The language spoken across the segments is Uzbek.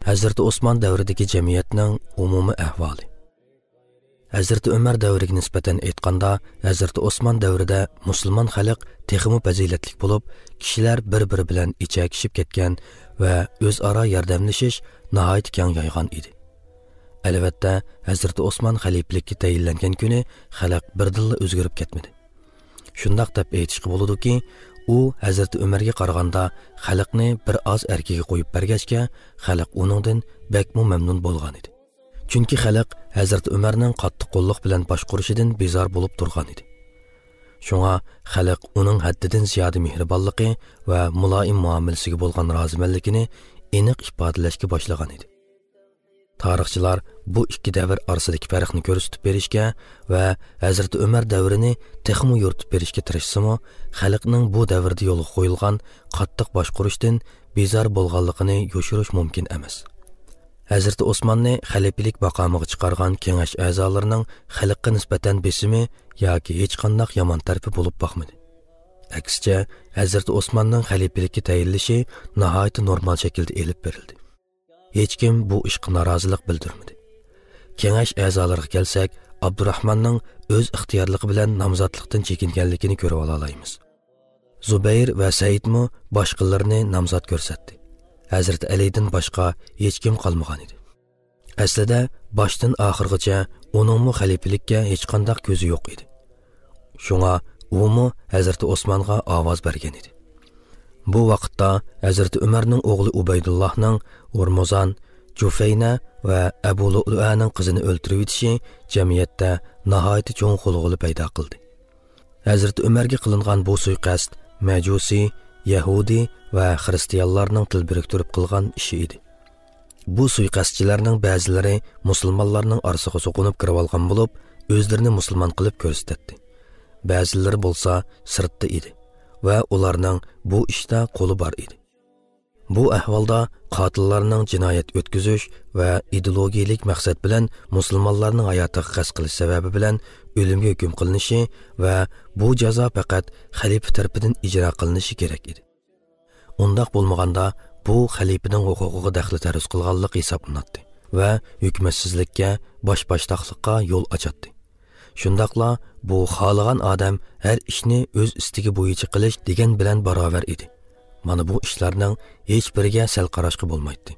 Hazrati Osman davridagi jamiyatning umumiy ahvoli. Hazrati Umar davriga nisbatan aytganda, Hazrati Osman davrida musulmon xalq texmi fazilatli bo'lib, kishilar bir-biri bilan ichakishib ketgan va o'zaro yordamlashish nihoyat keng yoygan edi. Albatta, Hazrati Osman xalifalikka tayinlangan kuni xalq birdilla o'zgarib ketmadi. Shundoq deb aytishga bo'ladiki, u Hazrati Umarga qaraganda xalqni bir oz erkiga qo'yib bergachga, xalq uningdan bakmu mamnun bo'lgan edi. Chunki xalq Hazrati Umarning qattiq qo'lliq bilan boshqurishidan bezor bo'lib turgan edi. Shunga xalq uning haddidan ziyoda mehribonligi va muloyim muomalasiga bo'lgan rozimanligini aniq ifodalashga boshlagan edi. Tarixchilar bu ikki davr orasidagi farqni ko'rsatib berishga va Hazrati Umar davrini texmi yoritib berishga tirishsimi, xalqning bu davrda yo'lga qo'yilgan qattiq boshqurishdan bezor bo'lganligini yoshirish mumkin emas. Hazrati Osmonni xalifalik maqomiga chiqargan kengash a'zolarining xalqqa nisbatan besimi yoki hech qanday yomon tarafi bo'lib boqmadi. Aksicha, Hazrati Osmonning xalifalikka tayinlashi nihoyat normal shaklda elib berildi. Hech kim bu ishga norozilik bildirmadi. Kengash a'zolariga kelsak, Abdurrahmanning o'z ixtiyorligi bilan nomzodlikdan chekinganligini ko'rib ola olamiz. Zubayr va Saidmi boshqalarini nomzod ko'rsatdi. Hazrati Alidan boshqa hech kim qolmagan edi. Aslida boshdan oxirgacha uningmi xalifalikka hech qanday ko'zi yo'q edi. Shunga umi Hazrati Osmonga ovoz bergan edi. Bu vaqtda Hazrati Umarning o'g'li Ubaydullohning Urmuzan, Jufayna va Abu Lu'lu'aning qizini o'ltirib etishi jamiyatda nihoyat cho'ng g'ulg'ula paydo qildi. Hazrati Umarga qilingan bu suiqasd Majusi, Yahudi va xristianlarning til biriktirib qilgan ishi edi. Bu suiqasdchilarning ba'zilari musulmonlarning orasiga so'qinib kirib olgan bo'lib, o'zlarini musulmon qilib ko'rsatdi. Ba'zilari bo'lsa sirtda edi va ularning bu ishda qo'li bor edi. Bu ahvolda qotillarning jinoyat o'tkazish va ideologiyalik maqsad bilan musulmonlarning hayotiga qasd qilish sababi bilan o'limga hukm qilinishi va bu jazo faqat xalifa tarafidan ijro qilinishi kerak edi. Undaq bo'lmaganda bu xalifaning huquqiga daxli taruz qilganlik hisoblanadi va hukmatsizlikka, boshboshdoqlikqa yo'l ochadi. Shundaqla bu xohlagan odam har ishni o'z istagi bo'yicha qilish degan bilan barobar edi. Mana bu ishlarning hech biriga sal qarashga bo'lmaydi.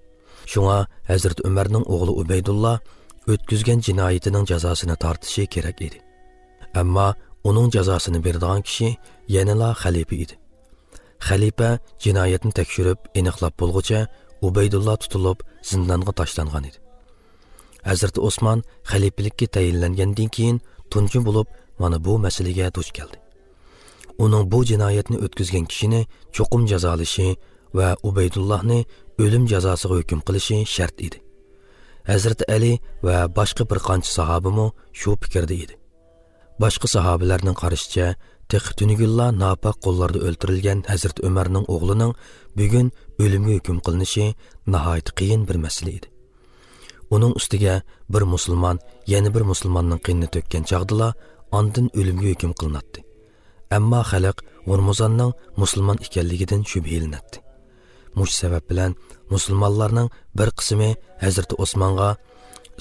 Shunga Hazrati Umarning o'g'li Ubaydulloh o'tkazgan jinoyatining jazosini tortishi kerak edi. Ammo uning jazosini beradigan kishi yanala xalifa edi. Xalifa jinoyatni tekshirib, aniqlab bo'lguncha Ubaydulloh tutilib zindonga tashlangan edi. Hazrati Osmon xalifalikka tayinlangandan keyin tunji bo'lib mana bu masalaga duch keldi. Uning bu jinoyatni o'tkazgan kishini cho'qim jazolashi va Ubaydullohni o'lim jazosiga hukm qilishi shart edi. Hazrati Ali va boshqa bir qancha sahobimi shu fikrda edi. Boshqa sahobalarning qarashicha, tugugilla nopok qo'llarda o'ltirilgan Hazrati Umarning o'g'lining bugun o'limga hukm qilinishi nihoyat qiyin bir masala edi. Uning ustiga bir musulmon yana bir musulmonning qinini to'kkan chog'dila ondan o'limga hukm qilinadi. Ammo xalq Urmuzonning musulmon ekanligidan shubhalanadi. Mush sabab bilan musulmonlarning bir qismi Hazrati Osmonga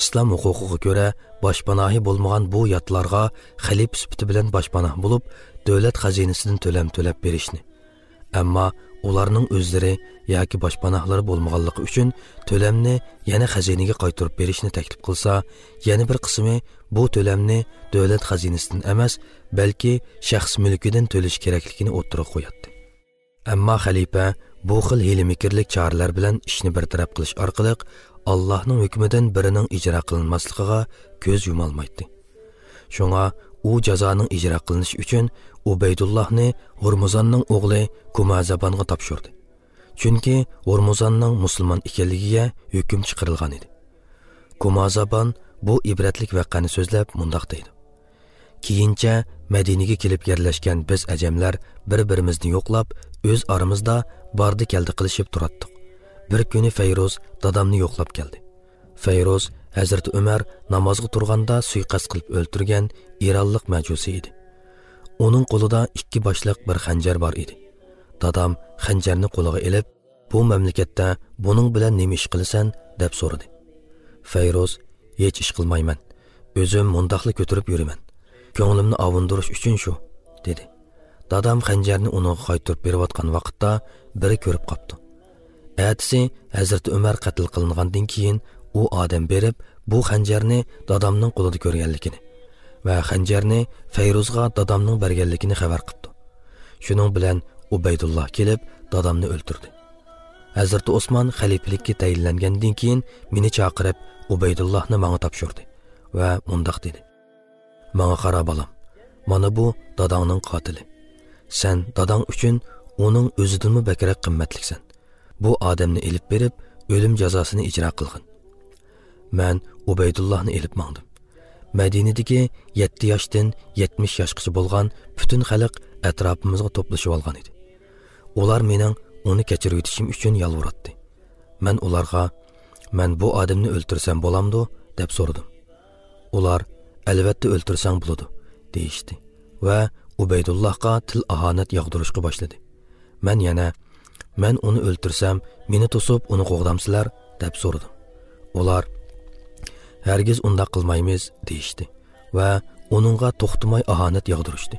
islom huquqiga ko'ra boshpanohi bo'lmagan bu yotlarga xalifa sifati bilan boshpanoh bo'lib, davlat xazinasidan to'lam to'lab berishni, ammo ularning o'zlari yoki boshpanohlari bo'lmaganligi uchun to'lamni yana xazinaga qaytarib berishni taklif qilsa, yana bir qismi bu to'lamni davlat xazinasidan emas, balki shaxs mulkidan to'lash kerakligini o'ttirib qo'yadi. Ammo xalifa bu xil hiyla-makirlik choralar bilan ishni bartaraf qilish orqali Allohning hukmidan birining ijro qilinmasligiga ko'z yumolmaydi. Shunga u jazoning ijro qilinishi uchun Ubaydullohni Hurmuzonning o'g'li Kumazabonga topshirdi. Chunki Hurmuzonning musulmon ekanligiga hukm chiqarilgan edi. Kumazabon bu ibratlik voqeani so'zlab mundoq deydi: Keyincha Madinaga kelib yerlashgan biz ajamlar bir-birimizni yo'qlab, o'z oramizda bordi keldi qilishib turatdik. Bir kuni Fayruz dadamni yo'qlab keldi. Fayruz Hazrati Umar namozga turganda suiqasd qilib o'ltirgan Eronlik majusi edi. Uning qo'lida ikki boshliq bir xanjar bor edi. Dadam xanjarni qo'liga ilib, Bu mamlakatda buning bilan nima ish qilasan deb so'radi. Fayruz: "Hech ish qilmayman. O'zim mundaqli ko'tarib yuraman. Ko'nglimni ovundirish uchun shu" dedi. Dadam xanjarni uningga qaytarib berayotgan vaqtda biri ko'rib qopti. Atisi Hazrati Umar qatl qilingandan keyin u odam berib bu xanjarni dadamning qo'lida ko'rganligini va xanjarni Fayruzga dadamning berganligini xabar qildi. Shuning bilan Ubaydulloh kelib dadamni o'ldirdi. Hazrati Osmon xalifalikka tayinlangandan keyin meni chaqirib Ubaydullohni menga topshirdi va mundoq dedi: "Menga qara bolam, mana bu dadangning qotili. Sen dadang uchun uning o'zidanmi bakrak qimmatliksan. Bu odamni elib berib, o'lim jazosini ijro qilgin." Men Ubaydullohni elib mangdim. Madinadagi 7 yoshdan 70 yoshgacha bo'lgan butun xalq atrofimizga to'plashib olgan edi. Ular mening uni kechirib yetishim uchun yalvoratdi. Men ularga: "Men bu odamni o'ltirsam bo'lamdi?" deb so'radim. Ular: "Albatta o'ltirsang bo'ladi" deyishdi va Ubaydullohga til ahonat yog'dirishga boshladi. Men yana: "Men uni o'ltirsam, meni to'sib uni qo'g'damsizlar?" deb so'radim. Ular: "Hargiz undaq qilmaymiz" deyishdi va uningga to'xtamay ahonat yog'dirishdi.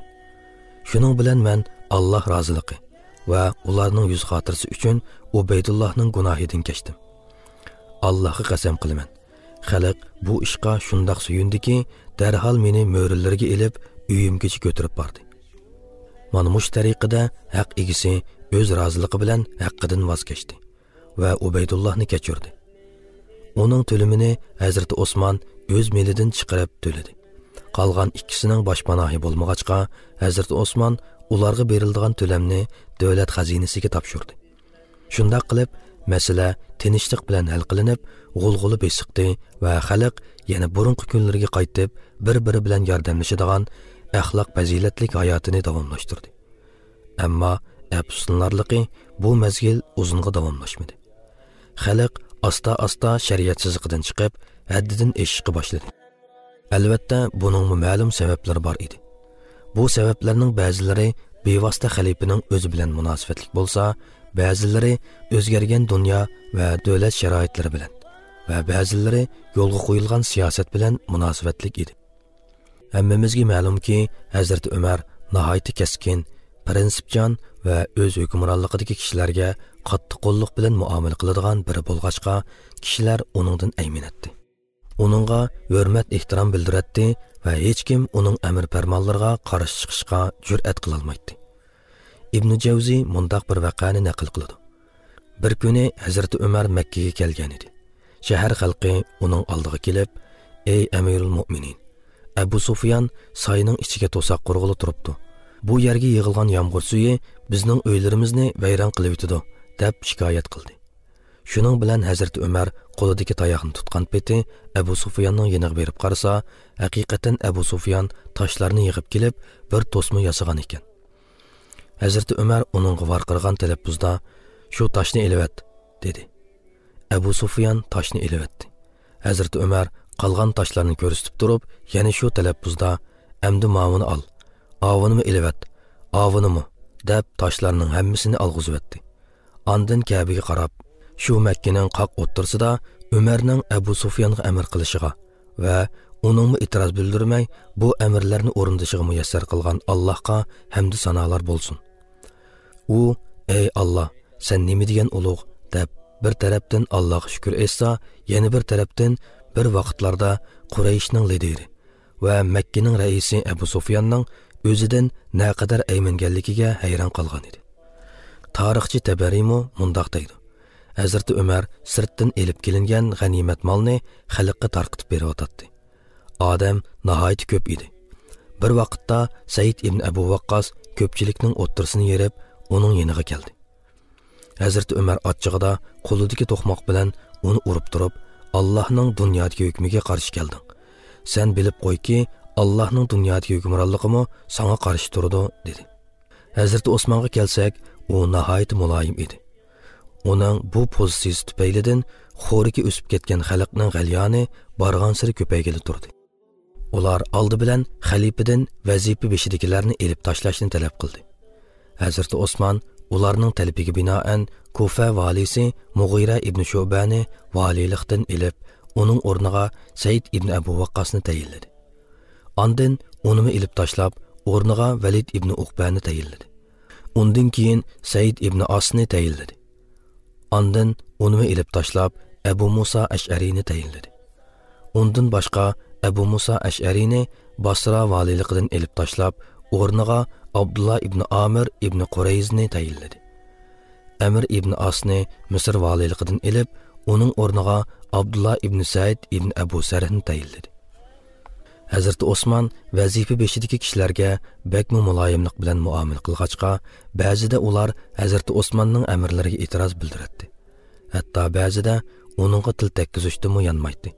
Shuning bilan men Alloh roziligi va ularning yuz xotirasi uchun Ubaydullohning gunohidan kechdim. Allohga qasam qilaman, xalq bu ishqa shundoq suyundiki, darhol meni mo'rilarga ilib uyimgacha ko'tarib bordi. Mana mush tariqada haq egisi o'z roziligi bilan haqqidan voz kechdi va Ubaydullohni kechirdi. Uning to'limini Hazrati Osmon o'z melidan chiqarib to'ladi. Qolgan ikkisining boshpanohi bo'lmag'achqa Hazrati Osmon ularga beriladigan to'lamni davlat xazinasiga topshirdi. Shundoq qilib masala tinchlik bilan hal qilinib, g'ulg'uli besiqdi va xalq yana burunqi kunlarga qaytib, bir-biri bilan yordamlashadigan axloq fazilatlik hayotini davomlashtirdi. Ammo afsuslanarligi bu mezgil uzunga davomlashmadi. Xalq asta-asta shariat chiziqidan chiqib, haddidan eshishga boshladi. Albatta, buning ma'lum sabablari bor edi. Bu sabablarning ba'zilari bevosita xalifaning o'zi bilan munosabatlik bo'lsa, ba'zilari o'zgargan dunyo va davlat sharoitlari bilan va ba'zilari yo'lga qo'yilgan siyosat bilan munosabatlik edi. Hammamizga ma'lumki, Hazrati Umar nihoyatda keskin, prinsipchan va o'z hukmronligidagi kishilarga qattiq qo'lliq bilan muomala qiladigan biri bo'lg'achqa, kishilar uningdan ayminatdi. Uningga hurmat ehtirom bildiratdi va hech kim uning amr farmonlariga qarshi chiqishga jur'at qilolmaydi. Ibn Javzi mundaq bir vaqani naql qiladi. Bir kuni Hazrati Umar Makka ga kelgan edi. Shahar xalqi uning oldiga kelib, "Ey Amirul Mo'minin, Abu Sufyan sayning ichiga to'saq qurg'ili turibdi. Bu yerga yig'ilgan yomg'ir suvi bizning uylarimizni vayron qilib yetadi" deb shikoyat qildi. Shuning bilan Hazrati Umar qo'lidagi tayoqni tutgan peti Abu Sufyanning yeniga berib qarasa, haqiqatan Abu Sufyan toshlarni yig'ib kelib bir to'sma yasagan ekan. Hazrati Umar uningga varqirgan talaffuzda: "Shu toshni elivat" dedi. Abu Sufyan toshni elivatdi. Hazrati Umar qolgan toshlarni ko'rsatib turib, yana shu talaffuzda: "Amdi mavini ol, ovinimi elivat, ovinimi" deb toshlarning hammasini olg'izvatdi. Ondan Kabaga qarab, shu Makkaning qoq o'ttirsida Umarning Abu Sufyonga amr qilishiga va uningmi e'tiroz bildirmay bu amirlarni o'rindishiga muyassar qilgan Allohga hamd sanolar bo'lsin. U: "Ey Alloh, sen nima degan ulug'" deb bir tarafdan Allohga shukr etsa, yana bir tarafdan bir vaqtlarda Qurayshning lideri va Makkaning raisi Abu Sufyonning o'zidan naqadar ayminganligiga hayron qolgan edi. Tarixchi Tabariymi mundoq deydi: Hazrati Umar sirtdan elib kelingan g'animat molni xalqqa tarqitib beryotdi. Odam nihoyat ko'p edi. Bir vaqtda Said ibn Abu Waqqas ko'pchilikning o'ttirsini yerib, uning yeniga keldi. Hazrati Umar achchig'ida qo'lidagi to'qmoq bilan uni urib turib, "Allohning dunyodagi hukmiga qarshi kelding. Sen bilib qo'yki, Allohning dunyodagi hukmronligimi sana qarshi turdi" dedi. Hazrati Osmonga kelsak, u nihoyat muloyim edi. Uning bu pozitsiyasi tufaylidan xo'riki o'sib ketgan xalqning g'alyoni bargan siri ko'paygili turdi. Ular oldi bilan xalifadan vazifa beshidagilarni elib tashlashni talab qildi. Hazrati Osmon Ularning talabiga binoan Kufa valisi Mug'ira ibn Shubani valilikdan ilib, uning o'rniga Said ibn Abu Waqqasni tayinladi. Ondan unimi ilib tashlab, o'rniga Valid ibn Uqbani tayinladi. Undan keyin Said ibn Asni tayinladi. Ondan unimi ilib tashlab, Abu Musa Ash'ariyni tayinladi. Undan boshqa Abu Musa Ash'ariyni Basra valiligidan ilib tashlab, o'rniga Abdullah ibn Amir ibn Qurayzni tayinladi. Amir ibn Asni Misr valiligidan ilib, uning o'rniga Abdullah ibn Said ibn Abu Sarhni tayinladi. Hazrati Osman vazifa beshidagi kishilarga bakmu muloyimlik bilan muomala qilg'achqa, ba'zida ular Hazrati Osmonning amirlariga e'tiroz bildiradi. Hatto ba'zida uningga til tekkizishdimi yonmaydi.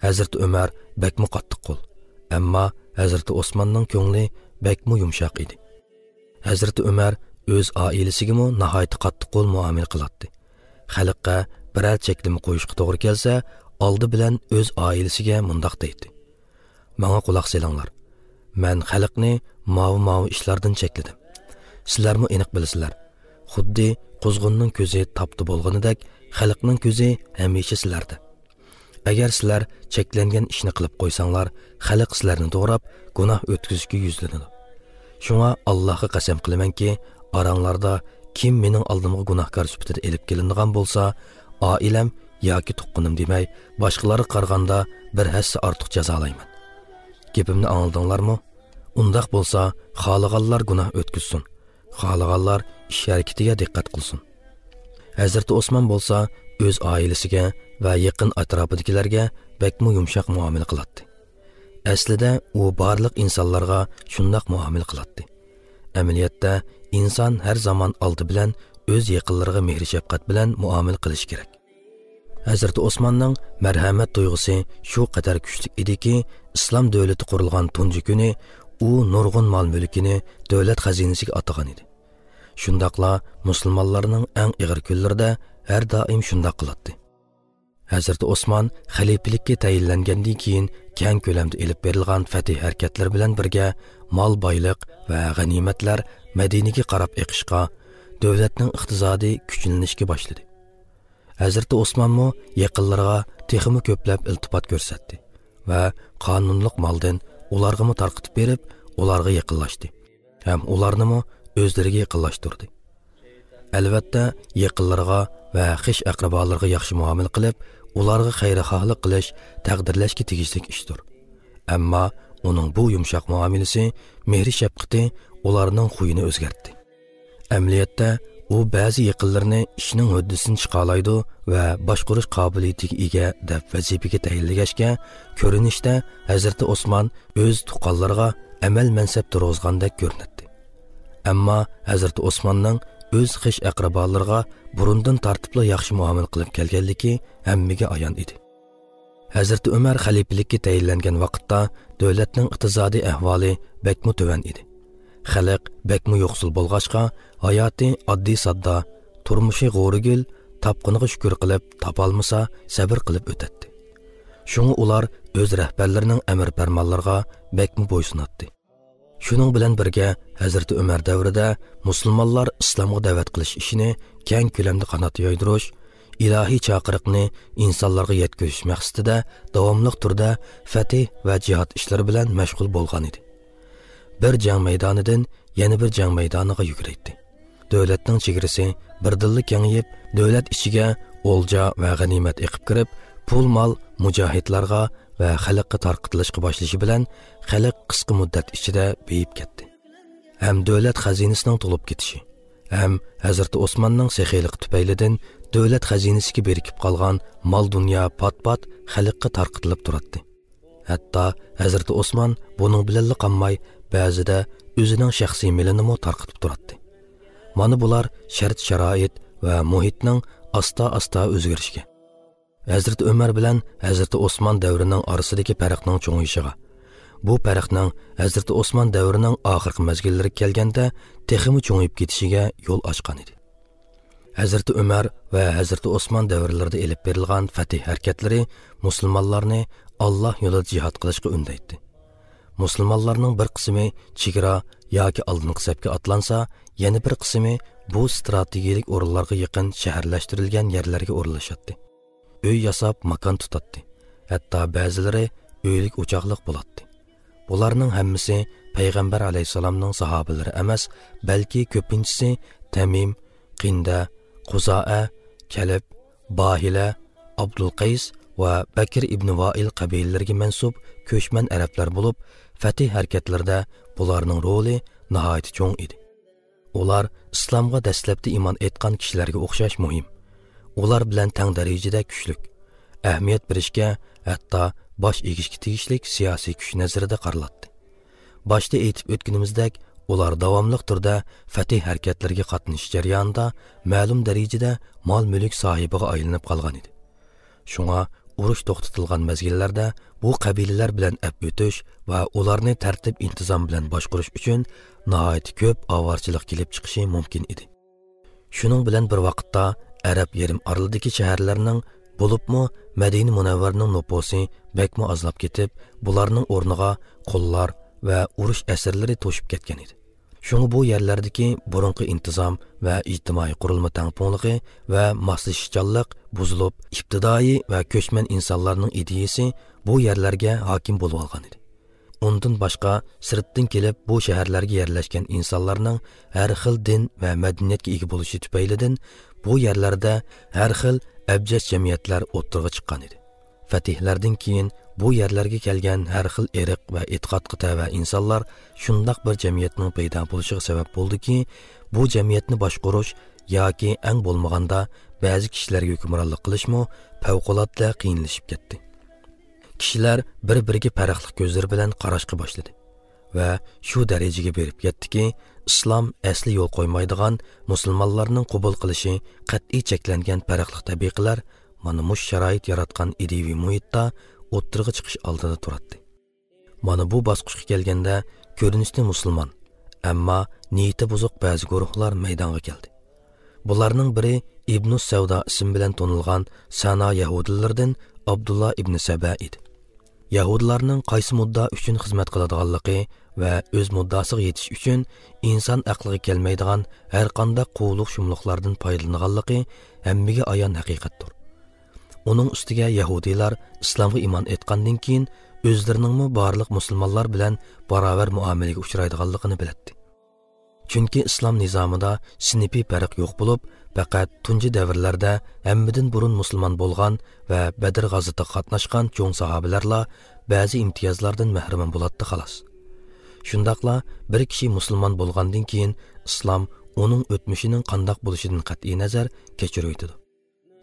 Hazrati Umar bakmu qattiq qo'l, ammo Hazrati Osmonning ko'ngli bakmu yumshoq edi. Hazrati Umar o'z oilasiga nihoyat qattiq qo'l muomala qiladi. Xalqqa biror cheklama qo'yishga to'g'ri kelsa, oldi bilan o'z oilasiga mundoq deydi: "Manga quloq selinglar. Men xalqni mavi-mavi ishlardan chekladim. Sizlarmi aniq bilasizlar. Xuddi quzg'unning ko'zi topdi bo'lganidek, xalqning ko'zi hamisha sizlarda. Agar sizlar cheklangan ishni qilib qo'ysanglar, xalq sizlarni to'g'rab gunoh o'tkazishga yuzlanadi. Shunga Allohga qasam qilamanki, oranglarda kim mening oldimga gunohkor sifatida elib kelinadigan bo'lsa, oilam yoki tuqqanim demay, boshqalarga qaraganda bir hassa ortiq jazolayman. Gapimni angladinglarmi? Undaq bo'lsa, xohlaganlar gunoh o'tkazsin, xohlaganlar ish harakatiga diqqat qilsin." Hazrati Osman bo'lsa, o'z oilasiga va yaqin atrofidagilarga bakmu yumshoq muomala qiladi. Aslida u barliq insonlarga shundoq muomala qiladi. Amaliyotda inson har zamon oldi bilan o'z yaqinlariga mehr shafqat bilan muomala qilish kerak. Hazrati Osmonning marhamat tuyg'usi shu qadar kuchli ediki, islom davlati qurilgan tunji kuni u nurg'un mol-mulkini davlat xazinasiga atagan edi. Shundoqla musulmonlarning eng ig'ir kunlarida har doim shundoq qiladi. Hazrati Osmon xalifalikka tayinlangandan keyin keng ko'lamda elib berilgan fatih harakatlari bilan birga mol boyliq va g'animatlar Madinaga qarab eqishqa, davlatning iqtisodiy kuchlanishga boshladi. Hazrati Osmonmo yaqinlariga texmi ko'plab iltifot ko'rsatdi va qonunliq moldan ularga tarqatib berib, ularga yaqinlashdi. Ham ularnimi o'zlariga yaqinlashtirdi. Albatta, yaqinlarga va xish aqrabolarga yaxshi muomala qilib, ularga xayrixohlik qilish taqdirlashga tegishli ishdir. Ammo uning bu yumshoq muomalasi, mehri shafqati ularning xuyini o'zgartdi. Amaliyotda u ba'zi yaqinlarini ishning huddasini chiqolaydi va boshqarish qobiliyatiga ega deb vazifaga tayinlagachga, ko'rinishda Hazrati Osmon o'z tuqqanlariga amal mansab turg'izgandek ko'rinadi. Ammo Hazrati Osmonning o'z xish aqrabolariga burundan tartibli yaxshi muomala qilib kelganligi hammaga ayon edi. Hazrati Umar xalifalikka tayinlangan vaqtda davlatning iqtisodiy ahvoli bakmu tuvan edi. Xalq bakmu yo'qsul bo'lg'achqa, hayoti oddiy sodda, turmushi g'o'rigul, topqiniga shukur qilib, topolmasa sabr qilib o'tatdi. Shunga ular o'z rahbarlarining amr farmonlariga bakmu bo'ysunatdi. Shuning bilan birga Hazrati Umar davrida musulmonlar islomga da'vat qilish ishini keng ko'lamda qanot yoydirish, ilohiy chaqiriqni insonlarga yetkazish maqsadida davomli turda fatih va jihad ishlari bilan mashg'ul bo'lgan edi. Bir jang maydonidan yana bir jang maydoniga yuguraydi. Davlatning chegarasi birdilla kengayib, davlat ichiga o'lja va g'animat eqib kirib, pul mol mujohidlarga va xalqqa tarqatilishga boshlashi bilan xalq qisqa muddat ichida beyib ketdi. Ham davlat xazinasining to'lib ketishi, ham Hazrati Osmonning sexiylik tufaylidan davlat xazinasiga berikib qolgan mol dunyo pat-pat xalqqa tarqatilib turadi. Hatto Hazrati Osmon buning bilan qolmay, ba'zida o'zining shaxsiy milini tarqatib turadi. Mana bular shart sharoit va muhitning asta-asta o'zgarishiga, Hazrati Umar bilan Hazrati Osmon davrining orasidagi farqning cho'ng'ishiga, bu farqning Hazrati Osmon davrining oxirgi mezgillariga kelganda texmi cho'ng'ib ketishiga yo'l ochgan edi. Hazrati Umar va Hazrati Osmon davrlarida elib berilgan fatih harakatlari musulmonlarni Alloh yo'lida jihad qilishga undaydi. Musulmonlarning bir qismi chegara yoki oldingi safga otlansa, yana bir qismi bu strategik o'rinlarga yaqin shaharlashtirilgan yerlarga o'rinlashadi. Uy yasab makon tutadi. Hatto ba'zilari uylik o'choqliq bo'ladi. Bularning hammasi Payg'ambar alayhissalomning sahobalari emas, balki ko'pinchisi Tamim, Qinda, Quzoa, Kalib, Bahila, Abdulqays va Bakr ibn Vail qabilalariga mansub ko'chman arablar bo'lib, fatih harakatlarida bularning roli nihoyat cho'ng edi. Ular islomga dastlabda iymon etgan kishilarga o'xshash muhim. Ular bilan tang darajada kuchlik, ahamiyat berishga, hatto bosh egishga tegishlik siyosiy kuch nazarida qaraladi. Boshda aytib o'tganimizdek, ular davomli turda fatih harakatlariga qatnashish jarayonida ma'lum darajada mol-mulk sohibiga aylanib qolgan edi. Shunga urush to'xtatilgan mezgillarda bu qabilalar bilan ap o'tish va ularni tartib intizom bilan boshqarish uchun nihoyat ko'p ovorchilik kelib chiqishi mumkin edi. Shuning bilan bir vaqtda Arab yarim orolidagi shaharlarning, bo'libmi Madina Munavvarning nupusi bakmi ozlab ketib, bularning o'rniga qullar va urush asirlari to'shib ketgan edi. Shunga bu yerlardagi burunqi intizom va ijtimoiy qurilma tangpungligi va moslashishchanlik buzilib, ibtidoiy va ko'chman insonlarning ideyasi bu yerlarga hokim bo'lib olgan edi. Undan boshqa sirtdan kelib bu shaharlarga yerlashgan insonlarning har xil din va madaniyatga ega bo'lishi tufaylidan bu yerlarda har xil abjad jamiyatlar o'ttirg'a chiqqan edi. Fatihlardan keyin bu yerlarga kelgan har xil irq va e'tiqodga tava insonlar shundoq bir jamiyatning paydo bo'lishiga sabab bo'ldiki, bu jamiyatni boshqarish yoki eng bo'lmaganda ba'zi kishilarga hukmronlik qilishmi favqulodda qiyinlashib ketdi. Kishilar bir-biriga farqli ko'zlar bilan qarashga boshladi va shu darajaga berib yetdiki, islom asli yo'l qo'ymaydigan musulmonlarning qabul qilishi qat'iy cheklangan farqli tabiqalar mana mush sharoit yaratgan ideviy muhitda o'ttirg'a chiqish oldida turadi. Mana bu bosqichga kelganda ko'rinishda musulmon, ammo niyati buzuq ba'zi guruhlar maydonga keldi. Bularning biri Ibn Savdo ismi bilan tanilgan Sana yahudilaridan Abdullah ibn Saba edi. Yahudilarning qaysi mudda uchun xizmat qiladiganligi va o'z muddasiga yetish uchun inson aqliga kelmaydigan har qanday quvliq shumliqlardan foydalanganligi hammaga ayon haqiqatdir. Uning ustiga yahudiylar islomga iymon etgandan keyin o'zlarining barliq musulmonlar bilan barobar muomalaga uchraydiganligini biladi. Chunki islom nizomida sinfiy farq yo'q bo'lib, faqat tunji davrlarda hammadan burun musulmon bo'lgan va Badr g'azotida qatnashgan cho'ng sahobalarla ba'zi imtiyozlardan mahrum bo'ladi xolos. Shundaqla bir kishi musulmon bo'lgandan keyin islom uning o'tmishining qandoq bo'lishidan qat'iy nazar kechirib o'tadi.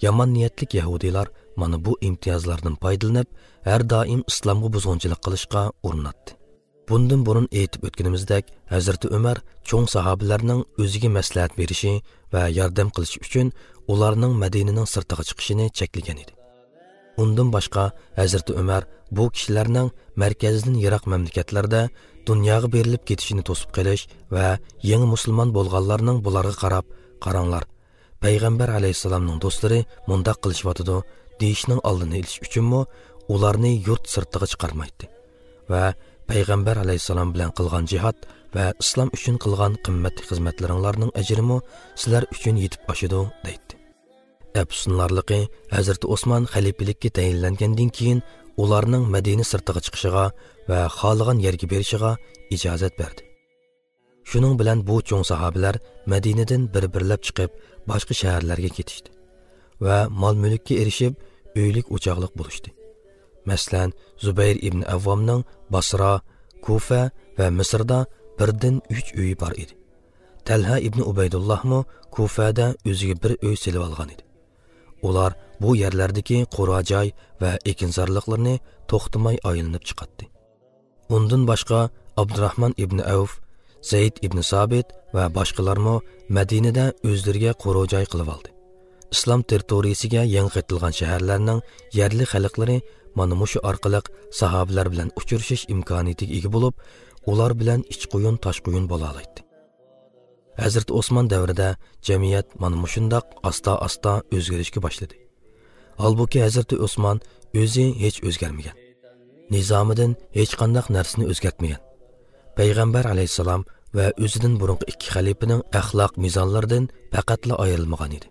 Yomon niyatlik yahudiylar mana bu imtiyozlardan foydalanib, har doim islomga buzg'unchilik qilishga urinadi. Bundan burun aytib o'tganimizdek, Hazrati Umar cho'ng sahobalarning o'ziga maslahat berishi va yordam qilishi uchun ularning Madinaning sirtiga chiqishini cheklagan edi. Undan boshqa Hazrati Umar bu kishilarning markazdan yiroq mamlakatlarda dunyoga berilib ketishini to'sib qilish va yangi musulmon bo'lganlarning bularga qarab, qaranglar, Payg'ambar alayhissalomning do'stlari mundaq qilishyotidi deyishning oldini olish uchunmi ularni yurt sirtiga chiqarmaydi va Payg'ambar alayhissalom bilan qilgan jihad va islom uchun qilgan qimmatli xizmatlaringlarning ajrimi sizlar uchun yetib oshidi deydi. Afsunlarligi Hazrati Osmon xalifalikka tayinlangandan keyin ularning Madina sirtiga chiqishiga va xohlagan yerga berishiga ijozat berdi. Shuning bilan bu cho'ng sahobalar Madinadan bir-birlab chiqib boshqa shaharlarga ketishdi va mol-mulkka erishib uylik o'choqliq bo'lishdi. Masalan, Zubayr ibn Avvomning Basra, Kufa va Misrda birdan 3 uyi bor edi. Talha ibn Ubaydullohmi Kufada o'ziga bir uy selib olgan edi. Ular bu yerlardagi qura joy va ekinzorliqlarni to'xtamay aylanib chiqatdi. Undan boshqa Abdurrahman ibn Avf, Zayd ibn Sabit va boshqalarmi Madinada o'zlariga qura joy qilib oldi. Islom territoriyasiga yangi qaytilgan shaharlarning yerli xalqlari mana mushu orqali sahobalar bilan uchrashish imkoniyatiga ega bo'lib, ular bilan ichquyun toshquyun bo'la oladi. Hazrati Osmon davrida jamiyat mana mushundoq asta-asta o'zgarishga boshladi. Holbuki Hazrati Osmon o'zi hech o'zgarmagan. Nizomidan hech qanday narsani o'zgartmagan. Payg'ambar alayhissalom va o'zidan burungi ikki xalifaning axloq mezonlaridan faqatla ayrilmagan edi.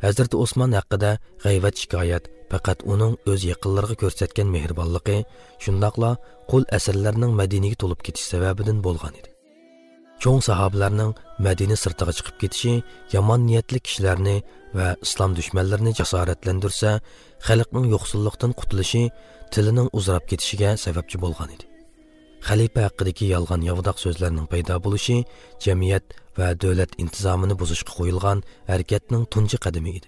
Hazrati Osmon haqida g'ayvat shikoyat faqat uning o'z yaqinlariga ko'rsatgan mehribonligi, shundoqla qul asirlarning Madinaga to'lib ketish sababidan bo'lgan edi. Cho'ng sahobalarning Madina sirtiga chiqib ketishi yomon niyatli kishilarni va islom dushmanlarini jasoratlantirsa, xalqning yo'qsullikdan qutulishi tilining uzrab ketishiga sababchi bo'lgan edi. Xalifa haqidagi yolg'on yovdoq so'zlarning paydo bo'lishi jamiyat va davlat intizomini buzishga qo'yilgan harakatning tunji qadami edi.